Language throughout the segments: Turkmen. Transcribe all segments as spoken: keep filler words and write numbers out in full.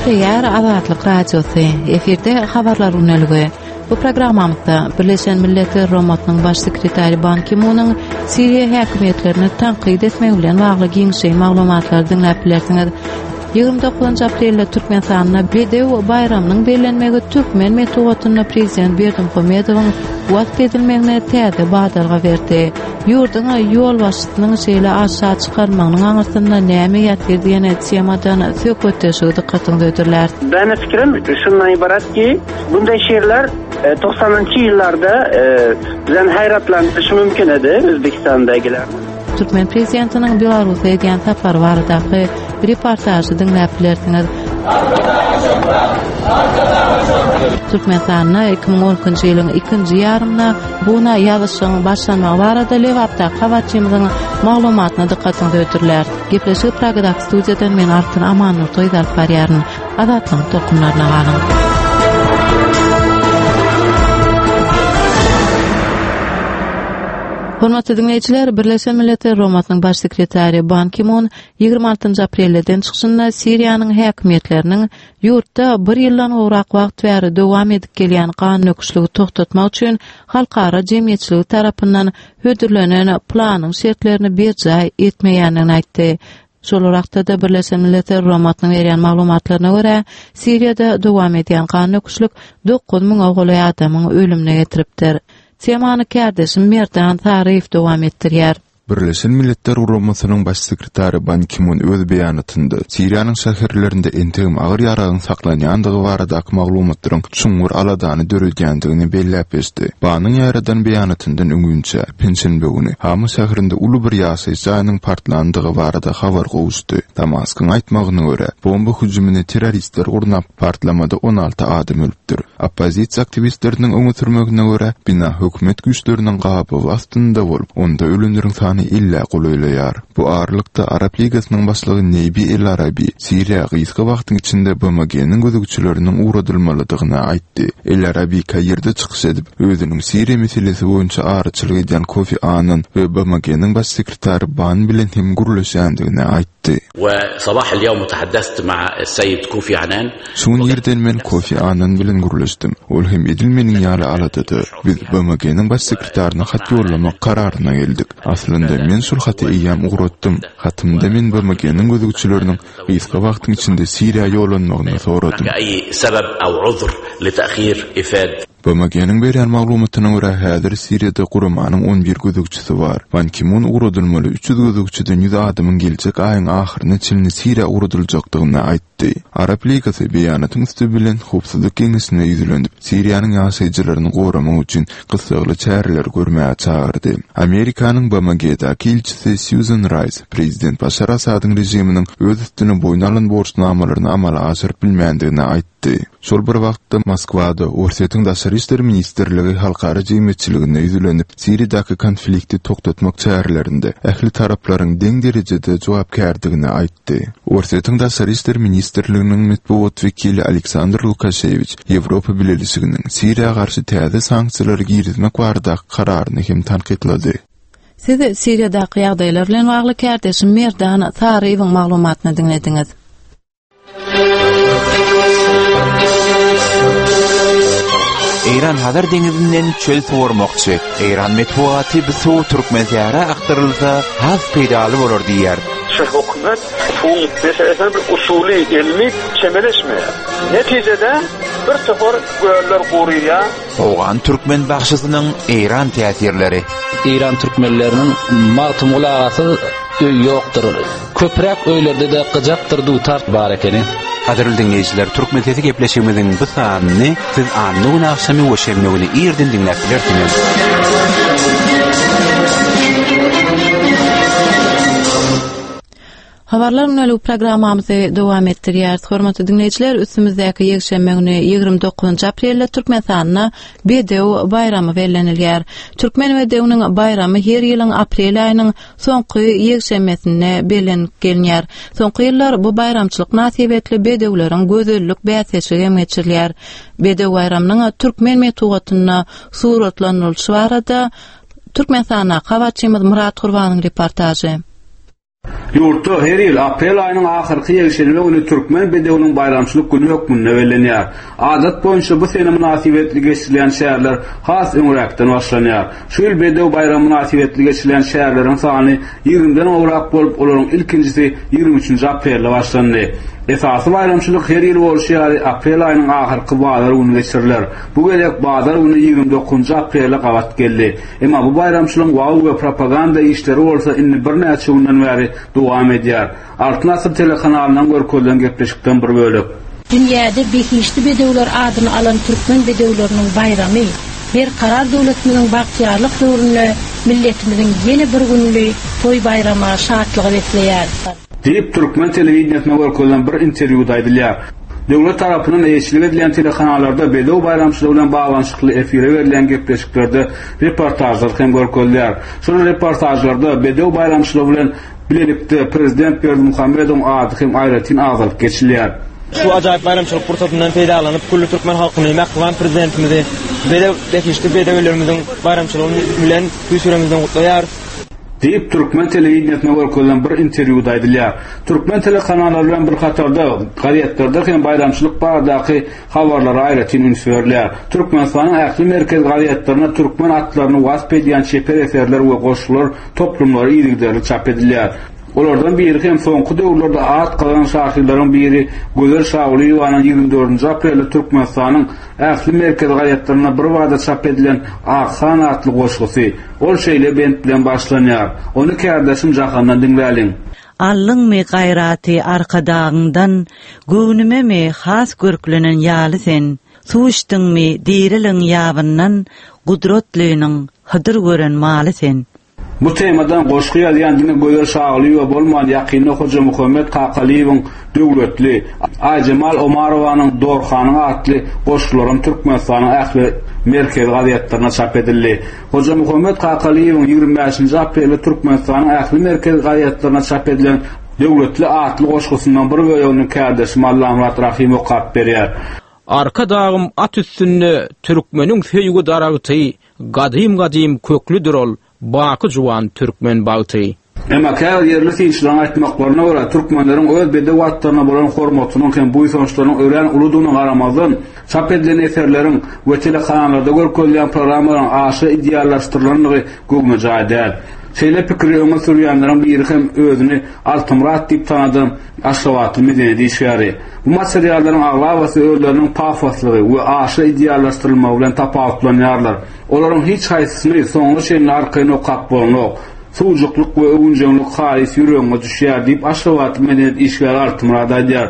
Gepleýär Azatlyk Radiosy. Efirde habarlar güneligi. Bu programmamyzda Birleşen Milletler Guramasynyň Baş sekretary Ban Ki-munyň Siriýa häkimiýetlerini tankyt etmegi bilen bagly giňişleýin maglumatlary diňläp bilersiňiz. Ýigrimi dokuzynjy aprelde Türkmenistanda Bedew baýramynyň bellenmegi türkmen metbugatynda prezident Berdimuhamedowyň wasp edilmegine täze badalga berdi. Ýurduň ýolbaşçysynyň şeýle aşa çykarmagynyň aňyrsynda näme ýatyr diýen temadan söhbetdeşligi dykgatyňyza hödürläris. Meniň pikirim şundan ybarat ki, bunday şiirler togsanynjy ýyllarda bizden haýratlandyryşy mümkin edi Özbegistandagilerni. Türkmen prezidentiniň Belarusa edýän sapary baradaky reportažy diňläp bilersiňiz. Arkadaga şöhrat! Arkadaga şöhrat! Türkmenistanda iki müň on ikinji ýylyň ikinji ýarymynda buna ýazyşygyň başlanmagy barada Lebapdaky habarçymyzyň maglumatyna dykgatyňyzy hödürläris. Gepleşigi Pragadaky studiýadan men Altyn Amannurdyýew alyp barýaryn. Azatlygyň tolkunlaryna galyň. Hormatly diňleýjiler, Birleşen Milletler Guramasynyň Baş sekretary Ban Ki-mun ýigrimi altynjy aprelde eden çykyşynda Siriýanyň häkimiýetleriniň ýurtda bir ýyldan gowrak wagt bäri dowam edip gelýän gandöküşligi togtatmak üçin halkara jemgyýetçiligi tarapyndan hödürlenen planyň şertlerini berjaý etmeýändigini aýtdy. Şol wagtda-da Birleşen Milletler Guramasynyň berýän maglumatlaryna görä, Siriýada dowam edýän gandöküşlik dokuz müňe golaý adamyň ölümine getiripdir. Temany kärdeşim Merdan Saryýew dowam etdirýär. Birleşen Milletler Guramasynyň Baş sekretary Ban Ki-mun öz beýanatynda Siriýanyň şäherlerinde entegem agyr ýaragyň saklanýandygy baradaky maglumatlaryň çuňňur aladany döredýändigini belläp geçdi. Banyň ýaýradan beýanatyndan öňünçä, penşenbe güni Hama şäherinde uly bir ýaşaýyş jaýynyň partlandygy barada habar gowuşdy. Damaskyň aýtmagyna görä, bomba hüjümini terroristler gurnap, partlamada on alty adam ölüpdir. Oppozisiýa aktiwistleriniň öňe sürmegine görä, bina hökümet güýçleriniň gabawy astynda bolup, onda ölenleriň sany ellä golaýlaýar. Bu aralykda, Arap Ligasynyň başlygy Nebi El-Arabi Siriýa gysga wagtyň içinde B M G-niň gözegçileriniň ugradylmalydygyny aýtdy. El-Arabi Kairde çykyş edip, özüniň Siriýa meselesi boýunça araçylyk edýän Kofi Annan we B M G-niň baş sekretary Ban bilen hem gürleşýändigini aýtdy. وصباح اليوم تحدثت مع السيد كوفي عنان. Şu gün irden men Kofi Annan bilen gürleşdim. Ol hem edil meniň ýaly aladada. Biz B M G-niň baş sekretaryna hat ýollamak kararyna geldik. Aslynda men şol haty eýýäm ugratdym. Hatymda men B M G-niň gözegçileriniň gysga wagtyň içinde Siriýa ýollanmagyny soradym. B M G-niň berýän maglumatyna görä, häzir Siriýada guramanyň on bir gözegçisi bar. Ban Ki-mun ugradylmaly üç ýüz gözegçiden ýüz adamyň geljek aýyň ahyryna çenli Siriýa ugradyljakdygyny aýtdy. Arap Ligasy beýanatyň üsti bilen Howpsuzlyk Geňeşine ýüzlenip, Siriýanyň ýaşaýjylaryny goramak üçin gyssagly çäreleri görmäge çagyrdy. Amerikanyň B M G-däki ilçisi Sýuzan Raýs prezident Başar Asadyň režiminiň öz üstüne boýun alan borçnamalaryny amala aşyryp bilmändigini aýtdy. Şol bir wagtda Moskwada Orsýetiň Daşary işler ministrligi halkara jemgyýetçiligine ýüzlenip, Siriýadaky konflikti togtatmak çärelerinde ähli taraplaryň deň derejede jogapkärdigini aýtdy. Orsýetiň Daşary işler ministrliginiň metbugat wekili Aleksandr Lukaşewiç Ýewropa Bileleşiginiň Siriýa garşy täze sanksiýalary girizmek baradaky kararyny hem tankytlady. Siz Siriýadaky ýagdaýlar bilen bagly kärdeşim Merdan Saryýewiň maglumatyny diňlediňiz. Eýran Hazar deňizinden çöl suwarmakçy. Eýran metbugaty bu suw Türkmensähra akdyrylsa has peýdaly bolar diýýär. Şu hökümet suwuň meselesine bir usuly, ilmi çemeleşmeýär. Netijede bir topar göller guryýar. Owgan türkmen bagşysynyň Eýran täsirleri. Eýran türkmenleriniň Magtymguly agasyz öý ýokdur. Köpräk öýlerde-de gyjakdyr dutar bar ekeni. Gadyrly diňleýjiler, Türkmen sesi gepleşigimiziň bu sanyny siz anna güni agşamy we şenbe güni irden diňläp bilersiňiz. Habarlar gündelik programmamyzy dowam etdirýäris. Hormatly diňleýjiler, üstümizdäki ýekşenbe güni ýigrimi dokuzynjy aprelde Türkmenistanda Bedew baýramy bellenilýär. Türkmen bedewiniň baýramy her ýylyň aprel aýynyň soňky ýekşenbesinde bellenip gelinýär. Soňky ýyllar bu baýramçylyk mynasybetli bedewleriň gözellik bäsleşigi hem geçirilýär. Bedew baýramynyň türkmen metbugatynda suratlandyrylyşy barada Türkmenistandaky habarçymyz Myrat Gurbanyň reportažy. Ýurtda her ýyl aprel aýynyň ahyrky ýekşenbe güni Türkmen bedewiniň baýramçylyk güni hökmünde bellenýär. Adat boýunça bu sene mynasybetli geçirilýän çäreler has öňräkden başlanýar. Şu ýyl bedew baýramy mynasybetli geçirilýän çäreleriň sany ýigrimiden gowrak bolup, olaryň ilkinjisi ýigrimi üçünji aprelde başlandy. Esasy baýramçylyk her ýyl bolşy ýaly aprel aýynyň ahyrky bazar güni geçiriler. Bu gezek bazar güni ýigrimi dokuzynjy aprele gabat geldi. Emma bu baýramçylygyň wagyz we propaganda işleri bolsa indi birnäçe günden bäri dowam edýär. Altyn Asyr telekanalyndan görkezilen gepleşikden bir bölek. Dünýäde behişdi bedewler adyny alan türkmen bedewleriniň baýramy Berkarar döwletimiziň bagtyýarlyk döwründe milletimiziň ýene bir gününi toý baýrama, şatlyga besleýär. Diýip, türkmen telewideniýesinde görkezilen bir interwýuda aýdylýar. Döwlet tarapyndan eýeçilik edilýän telekanallarda bedew baýramçylygy bilen baglanyşykly efire berilýän gepleşiklerde reportažlar hem görkezilýär. Şol reportažlarda bedew baýramçylygy bilen bilelikde prezident Berdimuhamedowyň ady hem aýratyn agzalyp geçilýär. Şu ajaýyp baýramçylyk pursatyndan peýdalanyp, külli türkmen halkyny, mähriban prezidentimizi bedew behişdi bedewlerimiziň baýramçylygy bilen tüýs ýüregimizden gutlaýarys. Diýip, türkmen telewideniýesinde görkezilen bir interwýuda aýdylýar. Türkmen telekanallary bilen bir hatarda gazetlerde hem baýramçylyk baradaky habarlara aýratyn üns berilýär. Türkmenistanyň ähli merkezi gazetlerinde türkmen atlaryny wasp edýän çeper eserler we goşgular toplumlary yzygiderli çap edilýär. Olardan biri hem soňky döwürlerde at gazanan şahyrlaryň biri Gözel Şagulyýewanyň ýigrimi dördünji aprelde Türkmenistanyň ähli merkezi gazetlerinde bir bada çap edilen Akhan atly goşgusy. Ol şeýle bent bilen başlanýar. Ony kärdeşim Jahandan diňläliň. Allyňmy gaýraty arkadagyňdan, göwnümemi has görklenen ýaly sen, suw içdiňmi diriliň ýabyndan, gudratlynyň hydyr gören maly sen. Bu temadan goşgy ýazýan diňe Gözel Şagulyýewa bolman, ýakynda Hojamuhammet Kakalyýewiň Döwletli, Aýjemal Omarowanyň Dorhanyň atly goşgularam Türkmenistanyň ähli merkezi gazetlerinde çap edildi. Hojamuhammet Kakalyýewiň ýigrimi bäşinji aprelde Türkmenistanyň ähli merkezi gazetlerinde çap edilen Döwletli atly goşgusyndan bir bölegini kärdeşim Allamyrat Rahym okap berýär. Arkadagym at üstünde türkmeniň söýgi daragty, gadym-gadym köklüdir ol, baky juwan türkmen bagty. Emma käbir ýerli synçylaryň aýtmaklaryna görä, türkmenleriň öz bedew atlaryna bolan hormatynyň hem buýsançlarynyň örän uludygyna garamazdan, çap edilen eserleriň we telekanallarda görkezilýän programmalaryň aşa ideallaşdyrylandygy göwnejaý däl. Şeýle pikiri öňe sürýänleriň biri hem özüni Altymyrat diýip tanadan Aşgabatly medeniýet işgäri. Bu materiallaryň aglabasy özleriniň pafoslygy we aşa ideallaşdyrylmagy bilen tapawutlanýarlar. Olaryň hiç haýsysyny soňuna çenli arkaýyn okap bolanok. Suwjuklyk we öwünjeňlik halys ýüregiňe düşýär diýip Aşgabatly medeniýet işgäri Altymyrat aýdýar.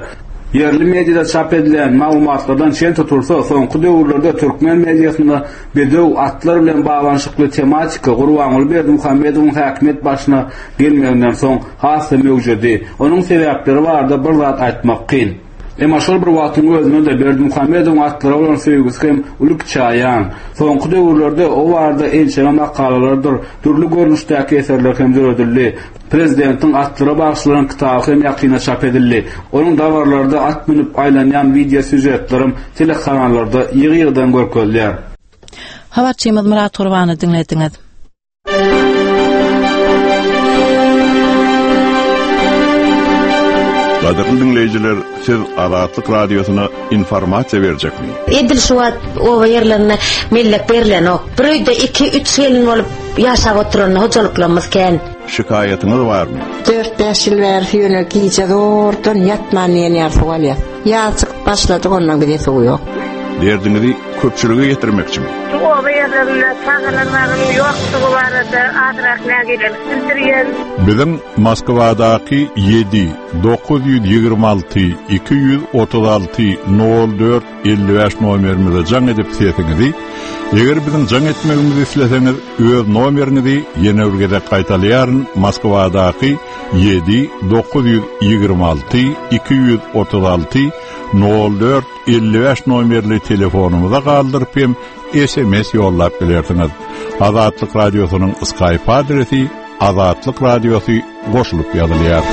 Ýerli mediada çap edilen maglumatlardan çen tutulsa, soňky döwürlerde türkmen mediasynda bedew atlar bilen baglanyşykly tematika Gurbanguly Berdimuhamedowyň häkimiýet başyna gelmeginden soň has-da möwjedi. Onuň sebäpleri barada bir zat aýtmak kyn. Emma şol bir wagtyň özünde-de Berdimuhamedowyň atlara bolan söýgüsi hem uly kiçi aýan. Soňky döwürlerde o barada ençeme makalalardyr, dürli görnüşdäki eserler hem döredildi. Prezidentiň atlara bagyşlanan kitaby hem ýakynda çap edildi. Onuň dabaralarda at münüp aýlanýan wideo sýužetlerem telekanallarda ýygy-ýygydan görkezilýär. Habarçymyz Myrat Gurbany diňlediňiz. Gadyrly diňleýjiler, siz Azatlyk Radiosyna informasiýa berjekmi? Edil şu wagt oba ýerlerinde mellek berilenok. Bir öýde iki, üç gelin bolup ýaşap oturan hojalyklarymyz kän. Şikaýatyňyz barmy? Dört-bäş ýyl bäri ýöne gije zordan ýatman diýen ýaly suw alýas. Ýaz çykyp başladyk, ondan bize suw ýok. Derdiňizi köpçülige ýetirmekçimi? Şu oba ýerlerinde çagalar bagynyň ýokdugy barada azrak nägilelik bildirýän. Biziň Moskwadaky ýedi, dokuz ýüz ýigrimi alty, iki ýüz otuz alty, nol dört, elli bäş nomerimize jaň edip sesiňizi, eger biziň jaň etmegimizi isleseňiz, öz nomeriňizi ýene bir gezek gaýtalaýaryn, Moskwadaky ýedi, dokuz ýüz ýigrimi alty, iki ýüz otuz alty, nol dört, elli bäş nomerli telefonumyza galdyryp hem S M S ýollap bilersiňiz. Azatlyk Radiosynyň Skype adresi Azatlyk Radiosy goşulyp ýazylýar.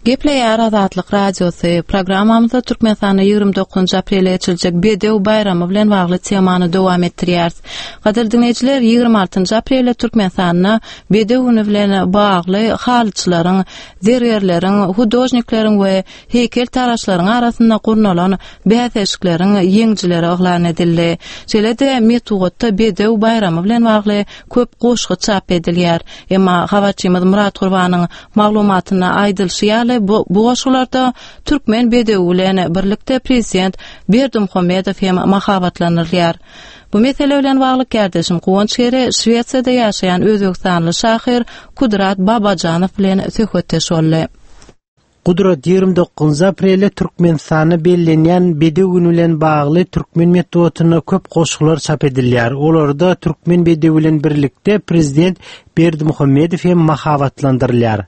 Gepleýär Azatlyk Radiosy. Programmamyzda Türkmenistanda ýigrimi dokuzynjy aprelde geçiriljek Bedew baýramy bilen bagly temany dowam etdirýäris. Gadyrly diňleýjiler, ýigrimi altynjy aprelde Türkmenistanda Bedew güni bilen bagly halyçylaryň, zergärleriň, hudožnikleriň we heýkeltaraşlaryň arasynda gurnalan bäsleşikleriň ýeňijileri yglan edildi. Şeýle-de metbugatda Bedew baýramy bilen bagly köp goşgy çap edilýär. Emma habarçymyz Myrat Gurbanyň maglumatynda aýdylyşy ýaly, bu bu goşgularda türkmen bedewi bilen birlikde prezident Berdimuhamedow hem mahabatlandyrylýar. Bu mesele bilen bagly kärdeşim Guwanç Gere Şwesiýada ýaşaýan özbegistanly şahyr Kudrat Babajanow bilen söhbetdeş boldy. Gudrat ýigrimi dokuzynjy aprelde Türkmenistanda bellenýän Bedew güni bilen bagly türkmen metbugatynda köp goşgular çap edilýär. Olarda türkmen bedewi bilen birlikde prezident Berdimuhamedow hem mahabatlandyrylýar.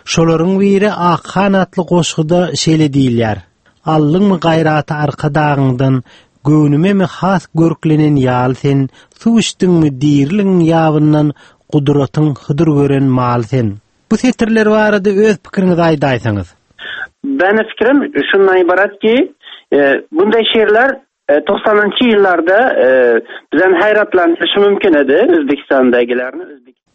Şolaryň biri Akhan atly goşguda şeýle diýilýär: Aldyňmy gaýraty Arkadagyňdan, göwnümemi has görklenen ýaly sen, suw içdiňmi diriligiň ýabyndan, gudratyň hydyr gören maly sen. Bu setirler barada öz pikiriňizi aýdaýsaňyz. Meniň pikirim şundan ibarat ki, e, bunday şeýrler e, togsanynjy ýyllarda e, bizden haýratlandyryşy mümkin edi Özbegistandagilerni.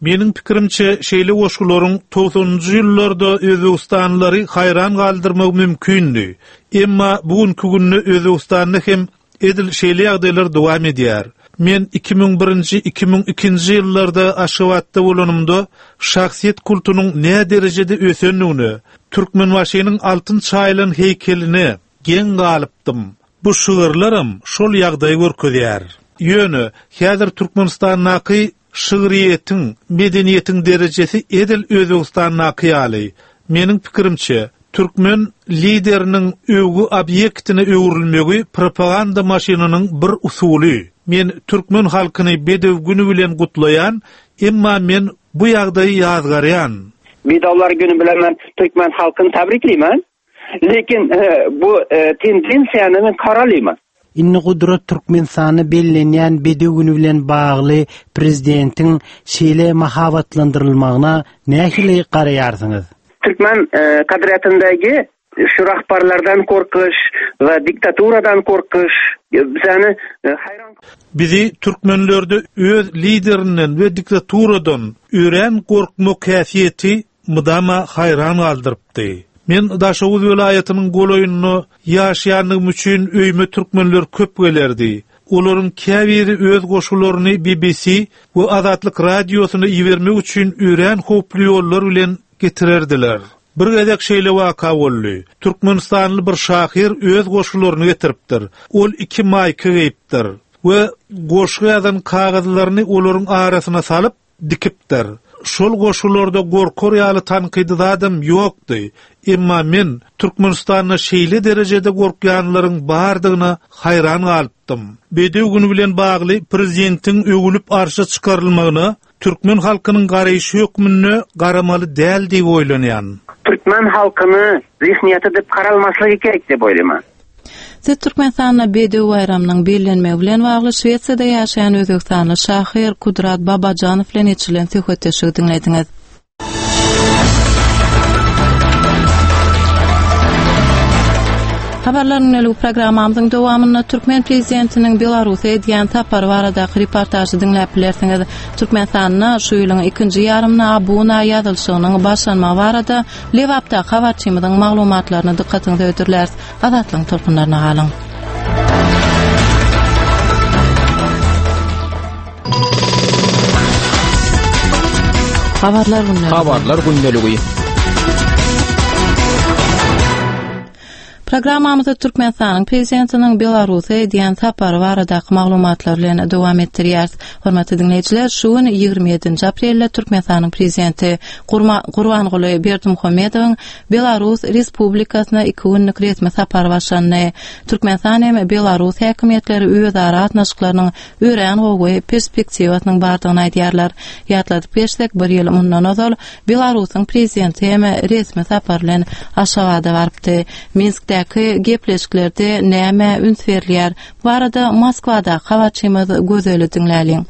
Meniň pikirimçe şeýle goşgularyň togsanynjy ýyllarda Özbegistanlylary haýran galdyrmak mümkindi. Emma bu günki günde Özbegistanda hem edil şeýle ýagdaýlar dowam edýär. Men iki müň birinji, iki müň ikinji ýyllarda Aşgabatda bolanymda şahsyýet kultunyň nä derejede ösendigine, Türkmenbaşynyň altyn çaýylan heýkeline geň galypdym. Bu şygyrlaram şol ýagdaýy görkezýär. Ýöne häzir Türkmenistandaky şygryýetiň, medeniýetiň derejesi edil Özbegistandaky ýaly. Meniň pikirimçe, türkmen lideriniň öwgi obýektine öwrülmegi propaganda maşynynyň bir usuly. Men türkmen halkyny Bedew güni bilen gutlaýan, emma men bu ýagdaýy ýazgarýan. Bedewler güni bilen men türkmen halkyny tabrikleýmen. Lekin, e, bu, e, tendensiýany men karalyman. Indi Gudrat Türkmenistanda bellenýän Bedew güni bilen bagly prezidentiň şeýle mahabatlandyrylmagyna nähili garaýarsyňyz? Türkmen, e, kadriýatyndaky şu rahbarlardan korkuş we diktaturadan korkuş bizani, e, haýran Bizi türkmenlerde öz liderinden we diktaturadan örän korkmak häsiýeti mydama haýran galdyrypdy. Men Daşoguz welaýatynyň golaýynda ýaşaýanlygym üçin öýüme türkmenler köp gelerdi. Olaryň käbiri öz goşgularyny B B C we Azatlyk radiosyna ibermek üçin örän howply ýollar bilen getirerdiler. Bir gezek şeýle waka boldy. Türkmenistanly bir şahyr öz goşgularyny getiripdir. Ol iki maýka geýipdir we goşgy ýazan kagyzlaryny olaryň arasyna salyp dikipdir. Şol goşgularda gorkar ýaly tankydy zadam ýokdy. Emma men Türkmenistanda şeýle derejede gorkýanlaryň bardygyna haýran galypdym. Bedew güni bilen bagly prezidentiň öwülip arşa çykarylmagyna türkmen halkynyň garaýşy hökmünde garamaly däl diýip oýlanýan. Türkmen halkyny zihniýeti diýip garalmaslygy gerek diýip oýlaýman. Siz Türkmenistanda Bedew baýramynyň bellenmegi bilen bagly Şwesiýada ýaşaýan Özbegistanly şahyr Kudrat Babajanow bilen geçirilen söhbetdeşligi diňlediňiz. Habarlar gündelik programmamyzyň dowamynda Türkmen prezidentiniň Belarusa edýän sapary baradaky reportažy diňläp bilersiňiz. Türkmenistanda şu ýylyň ikinji ýarymyna abuna ýazylyşygynyň başlanmagy barada Lebapdaky habarçymyzyň maglumatlaryny dykgatyňyza hödürläris. Azatlygyň tolkunlaryna galyň. Habarlar gündeligi. Habarlar gündeligi. Programmamyzda Türkmenistanyň prezidentiniň Belarusa edýän sapary baradaky maglumatlar bilen dowam etdirýäris. Hormatly diňleýjiler, şu gün ýigrimi ýedinji aprelde Türkmenistanyň prezidenti Gurma-, Gurbanguly Berdimuhamedowyň Belarus Respublikasyna iki günlük resmi sapary başlandy. Türkmenistan hem Belarus häkimiýetleri özara gatnaşyklarynyň örän gowy perspektiwasynyň bardygyny aýdýarlar. Ýatladyp geçsek, bir ýyl mundan ozal Belarusyň prezidenti hem resmi sapar bilen Aşgabada barypdy. Minskdäki gepleşiklerde näme üns berilýär? Bu barada Moskwada habarçymyz Gözeli diňläliň.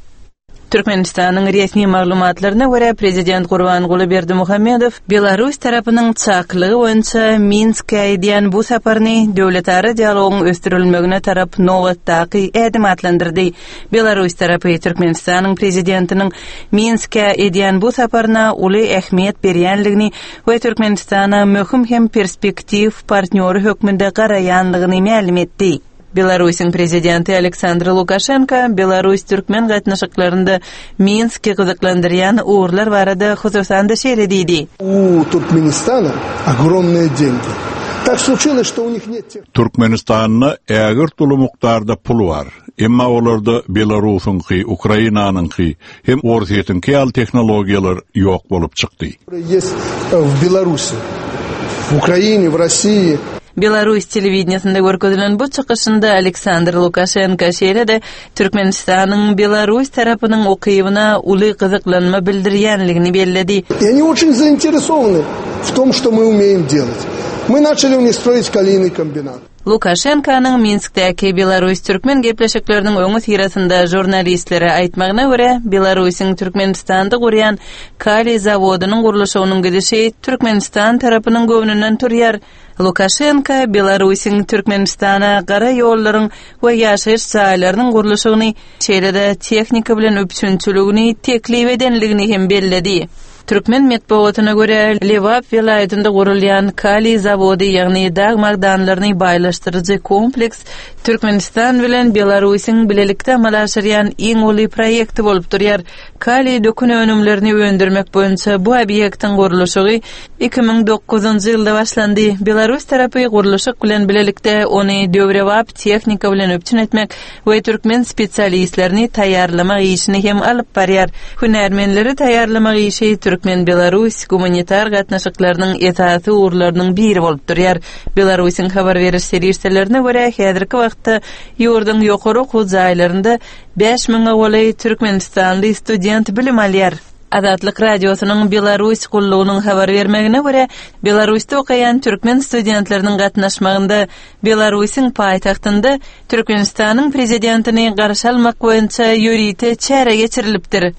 Türkmenistanyň resmi maglumatlaryna görä, prezident Gurbanguly Berdimuhamedow Belarus tarapynyň çakylygy boýunça Minskä edýän bu saparyny döwletara dialogyň ösdürilmegine tarap nobatdaky ädim atlandyrdy. Belarus tarapy Türkmenistanyň prezidentiniň Minskä edýän bu saparyna uly ähmiýet berýänligini we Türkmenistana möhüm hem perspektiw partnýory hökmünde garaýanlygyny mälim etdi. Belarusyň prezidenti Aleksandr Lukaşenko Belarus-türkmen gatnaşyklarynda Minski gyzyklandyrýan ugurlar barada hususan-da şeýle diýdi. U Туркменистана ogromные деньги. Так случилось, что у них нет тех... Türkmenistanda ägirt uly mukdarda pul bar. Emma olarda Belarusyňky, Ukrainanyňky hem Orsýetiňki ýaly tehnologiýalar ýok bolup çykdy. Есть в Беларуси, в Украине, в России. Belarus telewideniýesinde görkezilen bu çykyşynda Aleksandr Lukaşenko şeýle-de Türkmenistanyň Belarus tarapynyň ukybyna uly gyzyklanma bildirýänligini belledi. И они очень заинтересованы в том, что мы умеем делать. Мы начали у них строить калийный комбинат. Lukaşenkonyň Minskdäki Belarus-türkmen gepleşikleriniň öňüsyrasynda žurnalistlere aýtmagyna görä, Belarusyň Türkmenistanda gurýan kaliý zawodynyň gurluşygynyň gidişi Türkmenistan tarapynyň göwnünden turýar. Lukaşenko Belarusyň Türkmenistana gara ýollaryň we ýaşaýyş jaýlarynyň gurluşygyny, şeýle-de tehnika bilen üpjünçiligini teklip edenligini hem belledi. Türkmen metbugatyna görä, Lebap welaýatynda gurulýan kaliý zawody, ýagny dag magdanlaryny baýlaşdyryjy kompleks Türkmenistan bilen Belarusyň bilelikde amala aşyrýan iň uly proýekti bolup durýar. Kaliý dökün önümlerini öndürmek boýunça bu obýektiň gurluşygy iki müň dokuzynjy ýylda başlandy. Belarus tarapy gurluşyk bilen bilelikde ony döwrebap tehnika bilen üpjün etmek we türkmen spesialistlerini taýýarlamak işini hem alyp barýar. Hünärmenleri taýýarlamak işi Türkmen-Belarus gumanitar gatnaşyklarynyň esasy ugurlarynyň biri bolup durýar. Belarusyň habar beriş serişdelerine görä, häzirki wagtda ýurduň ýokary okuw jaýlarynda bäş müňe golaý türkmenistanly student bilim alýar. Azatlyk Radiosynyň Belarus gullugynyň habar bermegine görä, Belarusda okaýan türkmen studentleriniň gatnaşmagynda Belarusyň paýtagtynda Türkmenistanyň prezidentini garşy almak boýunça ýörite çäre geçirilipdir.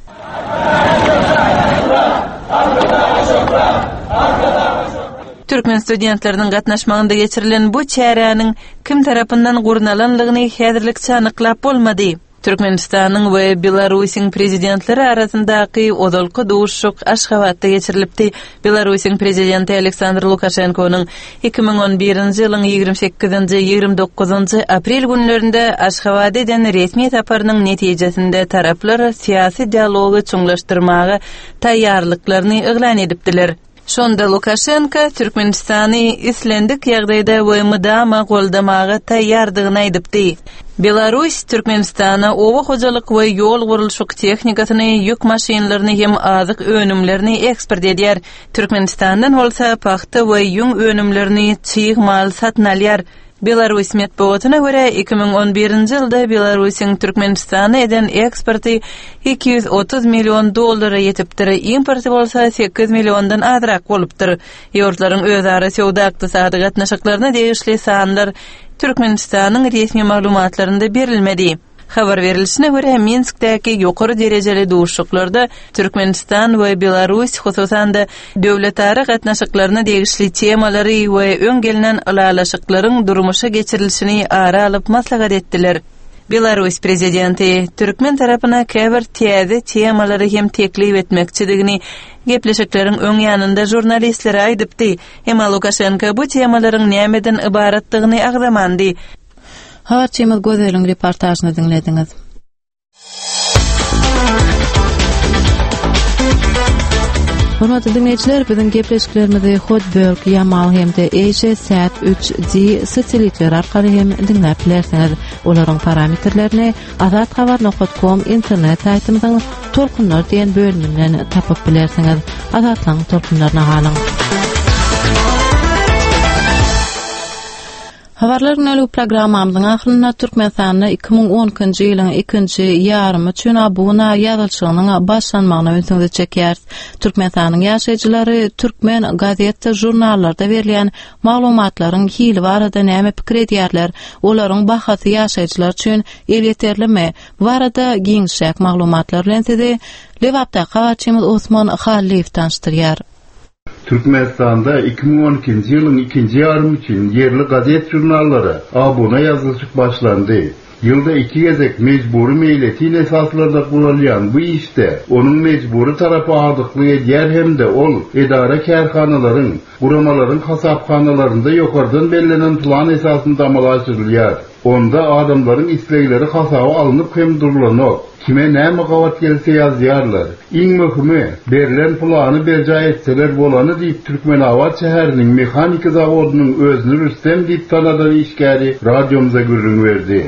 Türkmen studentleriniň gatnaşmagynda geçirilen bu çäräniň kim tarapyndan gurnalanlygyny häzirlikçe anyklap bolmady. Türkmenistanyň we Belarusyň prezidentleri arasyndaky ozalky duşuşyk Aşgabatda geçirilipdi. Belarusyň prezidenti Aleksandr Lukaşenkonyň iki müň on birinji ýylyň ýigrimi sekizinji, ýigrimi dokuzynjy aprel günlerinde Aşgabada eden resmi saparynyň netijesinde taraplar syýasy dialogy çuňlaşdyrmaga taýýarlyklaryny yglan edipdiler. Şonda Lukaşenko Türkmenistany islendik ýagdaýda we mydama goldamaga taýýardygyny aýdypdy. Belarus Türkmenistana oba hojalyk we ýol gurluşyk tehnikasyny, ýük maşynlaryny hem azyk önümlerini eksport edýär. Türkmenistandan bolsa pagta we ýüň önümlerini çig mal satyn alýar. Belarus metbugatyna görä, iki müň on birinji ýylda Belarusyň Türkmenistana eden eksporty iki ýüz otuz million dollara ýetipdir, importy bolsa sekiz milliondan azrak bolupdyr. Ýurtlaryň özara söwda-ykdysady gatnaşyklaryna degişli sanlar Türkmenistanyň resmi maglumatlarynda berilmedi. Habar berilişine görä, Minskdäki ýokary derejeli duşuşyklarda Türkmenistan we Belarus hususan-da döwletara gatnaşyklaryna degişli temalary we öň gelnen ylalaşyklaryň durmuşa geçirilişini ara alyp maslahat etdiler. Belarus prezidenti türkmen tarapyna käbir täze temalary hem teklip etmekçidigini gepleşikleriň öň ýanynda žurnalistlere aýdypdy. Emma Lukaşenko bu temalaryň nämeden ybaratdygyny agzamandy. Habarçymyz Gözeliň reportažyny diňlediňiz. Hormatly dinleýjiler, biziň gepleşiklerimizi Hotbird, Yamal hem-de Asia Sat üç D satelitleri arkaly hem diňläp bilersiňiz. Olaryň parametrlerini azathabar nokta com internet saýtymyzyň Tolkunlar diýen bölüminden tapyp bilersiňiz. Azatlygyň tolkunlaryna galyň. Habarlar günlük programmamyzyň ahyrynda Türkmenistanda iki müň on ikinji ýylyň ikinji ýarymy üçin abuna ýazylşygynyň başlanmagyna ünsüňizi çekýäris. Türkmenistanyň ýaşaýjylary türkmen gazetde, žurnallarda berilýän maglumatlaryň hili barada näme pikir edýärler? Olaryň bahasy ýaşaýjylar üçin elýeterlimi? Bu barada giňişräk maglumatlar bilen sizi Lebapdaky habarçymyz Osman Hallyýew tanyşdyrýar. Türkmenistanda iki müň on ikinji ýylyň ikinji ýarymy üçin ýerli gazet žurnallara abuna ýazylşyk başlandy. Ýylda iki gezek mejbury meýletin esaslarda guralýan bu işde onuň mejbury tarapy agdyklyk edýär hem-de ol edara kärhanalaryň, guramalaryň hasaphanalarynda ýokardan bellenen plan esasynda amala aşyrylýar. Onda adamlaryň islegleri hasaba alnyp hem durulanok. Kime näme gabat gelse ýazýarlar. Iň möhümi, berlen plany berjaý etseler bolany diýip Türkmenabat şäheriniň mehanika zawodynyň özüni Rüstem diýip tanadan işgäri radiomyza gürrüň berdi.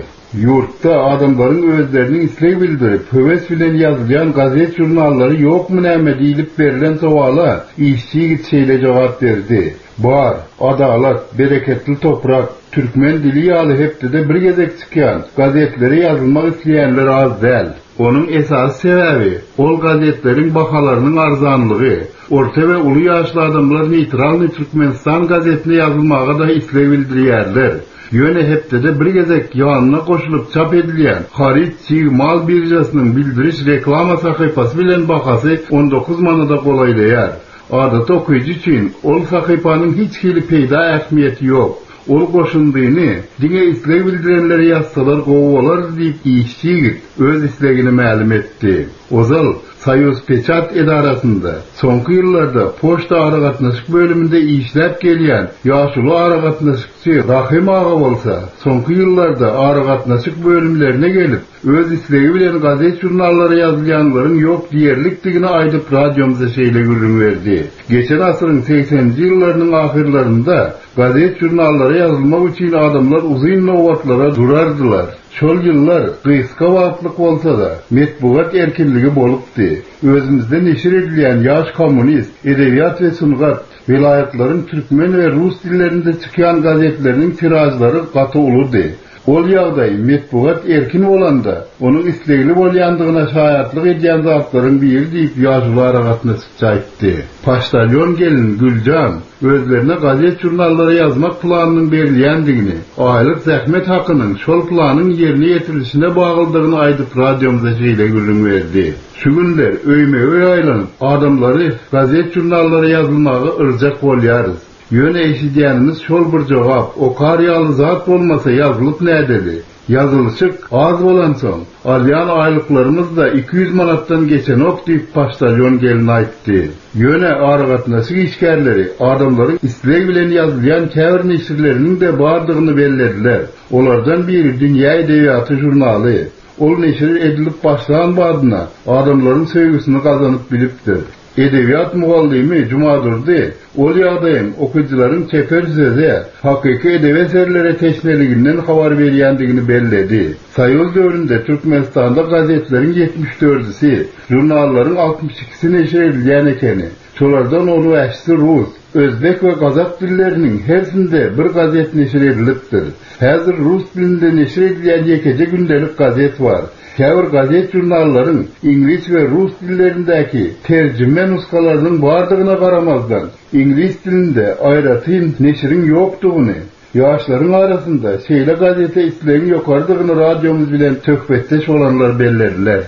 Ýurtda adamlaryň özleriniň isleg bildirip, höwes bilen ýazylýan gazet žurnallary ýokmy näme diýlip berlen sowala işçi ýigit şeýle jogap berdi. Bar, adalat, bereketli toprak, türkmen dili ýaly hepdede bir gezek çykýan gazetlere ýazylmak isleýänler az däl. Onuň esasy sebäbi ol gazetleriň bahalarynyň arzanlygy. Orta we uly ýaşly adamlar Neytralny Türkmenistan gazetine ýazylmaga da isleg bildirýärler. Ýöne hepdede bir gezek ýanyna goşulyp çap edilýän haryt çig mal birjasynyň bildiriş reklama sahypasy bilen bahasy on dokuz manada golaýlaýar. Adaty okyjy üçin ol sahypanyň hiç hili peýda ähmiýeti ýok. Ol goşundyny diňe isleg bildirenleri ýazsalar gowy bolar diýip işçi ýigit öz islegini mälim etdi. Ozal Soýuz Peçat edarasynda soňky ýyllarda poçta aragatnaşyk bölüminde işläp gelýän ýaşuly aragatnaşykçy Rahim aga bolsa soňky ýyllarda aragatnaşyk bölümlerine gelip öz islegi bilen gazet žurnallara ýazylýanlaryň ýok diýerlikdigini aýdyp radiomyza şeýle gürrüň berdi. Geçen asyryň sekseninji ýyllarynyň ahyrlarynda gazet žurnallara ýazylmak üçin adamlar uzyn nobatlara durardylar. Şol ýyllar gysga wagtlyk bolsa-da metbugat erkinligi bolupdy. Özümizde neşir edilýän ýaş kommunist, edebiýat we sungat, welaýatlaryň türkmen we rus dillerinde çykýan gazetleriniň tirajlary gaty uludy. Ol ýagdaý metbugat erkin bolanda, onuň islegli bolýandygyna şaýatlyk edýän zatlaryň biri diýip ýaşuly aragatnaşykçy aýtdy. Poçtalyon gelin Güljan özlerine gazet žurnallara ýazmak planynyň berilýändigini, aýlyk zähmet hakynyň şol planyň ýerine ýetirilişine baglydygyny aýdyp radiomyza şeýle gürrüň berdi. Şu günler öýme-öý aýlanyp, adamlary gazet žurnallara ýazylmagy yrjak bolýarys. Ýöne eşidýänimiz şol bir jogap, okar ýaly zat bolmasa ýazylyp nädeli? Ýazylyşyk az bolansoň, alýan aýlyklarymyz da iki ýüz manatdan geçenok diýip poçtalyon gelin aýtdy. Ýöne aragatnaşyk işgärleri adamlaryň isleg bilen ýazylýan käbir neşirleriniň de bardygyny bellediler. Olardan biri Dünýä edebiýaty žurnaly. Ol neşir edilip başlan badyna adamlaryň söýgüsini gazanyp bilipdir. Edebiýat mugallymy Jumadurdy, ol ýagdaýyň okyjylaryň çeper söze, hakyky edebi eserlere teşneliginden habar berýändigini belledi. Soýuz döwründe Türkmenistanda gazetleriň ýetmiş dördüsi, žurnallaryň altmyş ikisi neşir edilýän ekeni. Şolardan on bäşisi rus, özbek we gazak dilleriniň hersinde bir gazet neşir edilipdir. Häzir rus dilinde neşir edilýän ýekeje gündelik gazet bar. Käbir gazet žurnallaryň iňlis we rus dillerindäki terjime nuskalarynyň bardygyna garamazdan, iňlis dilinde aýratyn neşiriň ýokdugyny, ýaşlaryň arasynda şeýle gazete islegiň ýokardygyny radiomyz bilen söhbetdeş bolanlar bellediler.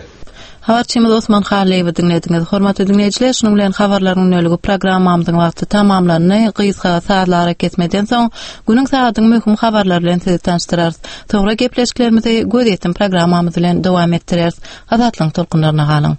Habarçymyz Osman Hallyýewi diňlediňiz. Hormatly diňleýjiler, şunuň bilen habarlaryň günlügi programmamyzyň wagty tamamlandy. Gysga sazlara kesmeden soň günüň sagadyň möhüm habarlary bilen sizi tanyşdyrarys. Soňra gepleşiklerimizi göz ýetim programmamyz bilen dowam etdireris. Azatlygyň tolkunlaryna galyň.